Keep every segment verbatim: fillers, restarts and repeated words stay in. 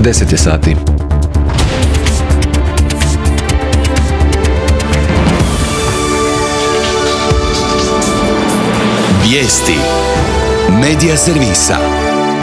deset je sati. Vijesti Medija servisa.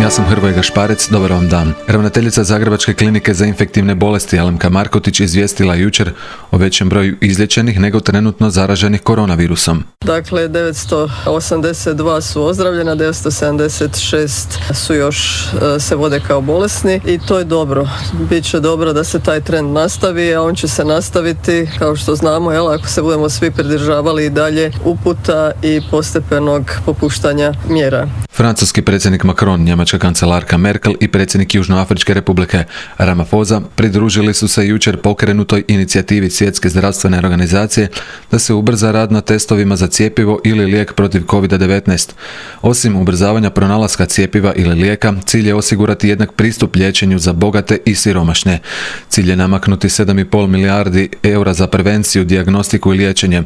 Ja sam Hrvoje Gašparec, dobar vam dan. Ravnateljica Zagrebačke klinike za infektivne bolesti Alemka Markotić izvijestila jučer o većem broju izliječenih nego trenutno zaraženih koronavirusom. Dakle, devetsto osamdeset dva su ozdravljena, devetsto sedamdeset šest su još se vode kao bolesni i to je dobro. Biće dobro da se taj trend nastavi, a on će se nastaviti, kao što znamo, jel, ako se budemo svi pridržavali i dalje uputa i postepenog popuštanja mjera. Francuski predsjednik Macron, njemačka kancelarka Merkel i predsjednik Južnoafričke republike Ramaphosa pridružili su se jučer pokrenutoj inicijativi Svjetske zdravstvene organizacije da se ubrza rad na testovima za cjepivo ili lijek protiv kovid devetnaest. Osim ubrzavanja pronalaska cjepiva ili lijeka, cilj je osigurati jednak pristup liječenju za bogate i siromašne. Cilj je namaknuti sedam zarez pet milijardi eura za prevenciju, dijagnostiku i liječenje.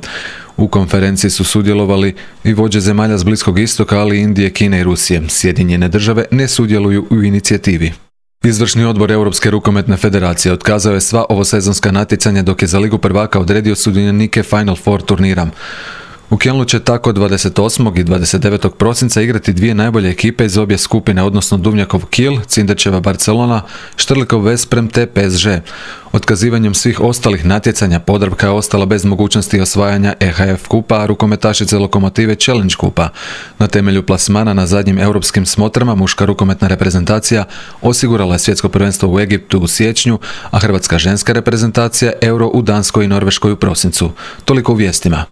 U konferenciji su sudjelovali i vođe zemalja s Bliskog istoka, ali i Indije, Kine i Rusije. Sjedinjene države ne sudjeluju u inicijativi. Izvršni odbor Europske rukometne federacije otkazao je sva ovosezonska natjecanja dok je za Ligu prvaka odredio sudionike Final Four turnira. U Kölnu će tako dvadeset osmog i dvadeset devetog prosinca igrati dvije najbolje ekipe iz obje skupine, odnosno Duvnjakov Kiel, Cinderčeva Barcelona, Štrlikov Vesprem te P S G. Otkazivanjem svih ostalih natjecanja Podravka je ostala bez mogućnosti osvajanja E H F kupa, a rukometašice Lokomotive Challenge kupa. Na temelju plasmana na zadnjim europskim smotrama muška rukometna reprezentacija osigurala je svjetsko prvenstvo u Egiptu u siječnju, a hrvatska ženska reprezentacija Euro u Danskoj i Norveškoj u prosincu. Toliko u vijestima.